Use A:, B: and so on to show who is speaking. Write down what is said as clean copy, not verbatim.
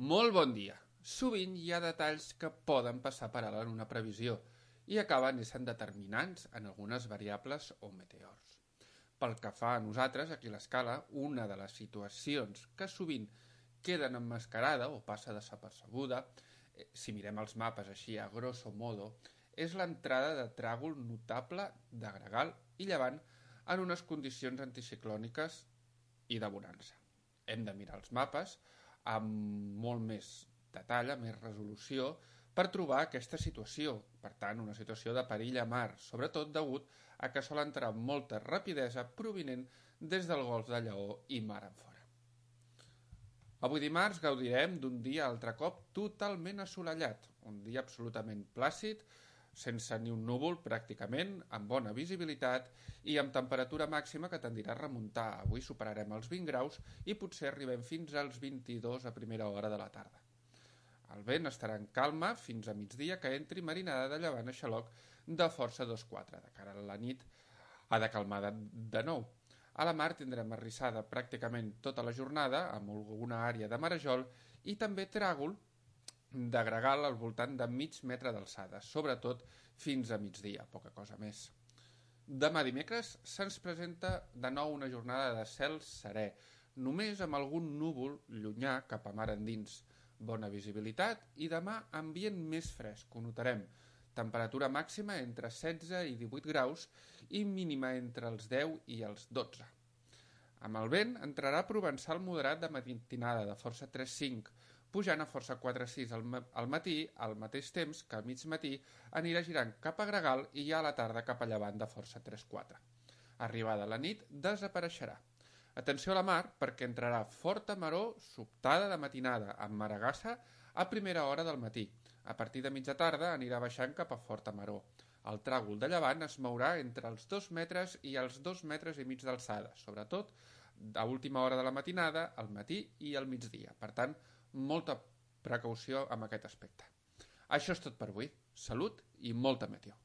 A: Molt bon dia. Sovint hi ha detalls que poden passar per alt en una previsió i acaben essent determinants en algunes variables o meteors. Pel que fa a nosaltres, aquí a l'escala, una de les situacions que sovint queden emmascarada o passa desapercebuda, si mirem els mapes així a grosso modo, és l'entrada de tràgol notable de gregal i llevant en unes condicions anticiclòniques i de bonança. Hem de mirar els mapes amb molt més detall, amb més resolució, per trobar aquesta situació. Per tant, una situació de perill a mar, sobretot degut a que sol entrar amb molta rapidesa provinent des del golf de Lleó i mar enfora. Avui dimarts gaudirem d'un dia altre cop totalment assolellat, un dia absolutament plàcid, sense ni un núvol pràcticament, amb bona visibilitat i amb temperatura màxima que tendirà a remuntar. Avui superarem els 20 graus i potser arribem fins als 22 a primera hora de la tarda. El vent estarà en calma fins a migdia que entri marinada de llevant a xaloc de força 2-4. De cara a la nit ha de calmar de nou. A la mar tindrem arrissada pràcticament tota la jornada amb alguna àrea de marejol i també tràgol de gregal al voltant de mig metre d'alçada, sobretot fins a migdia, poca cosa més. Demà dimecres se'ns presenta de nou una jornada de cel serè, només amb algun núvol llunyà cap a mar endins. Bona visibilitat i demà ambient més fresc, ho notarem. Temperatura màxima entre 16 i 18 graus i mínima entre els 10 i els 12. Amb el vent entrarà provençal moderat de matinada de força 3-5, pujant a força 4-6 al matí, al mateix temps que al mig matí anirà girant cap a gregal i ja a la tarda cap a llevant de força 3-4. Arribada la nit desapareixerà. Atenció a la mar perquè entrarà forta maror sobtada de matinada amb maragassa a primera hora del matí. A partir de mitja tarda anirà baixant cap a forta maror. El tràgol de llevant es mourà entre els 2 metres i els 2 metres i mig d'alçada, sobretot a última hora de la matinada, al matí i al migdia. Per tant, molta precaució amb aquest aspecte. Això és tot per avui. Salut i molta meteo.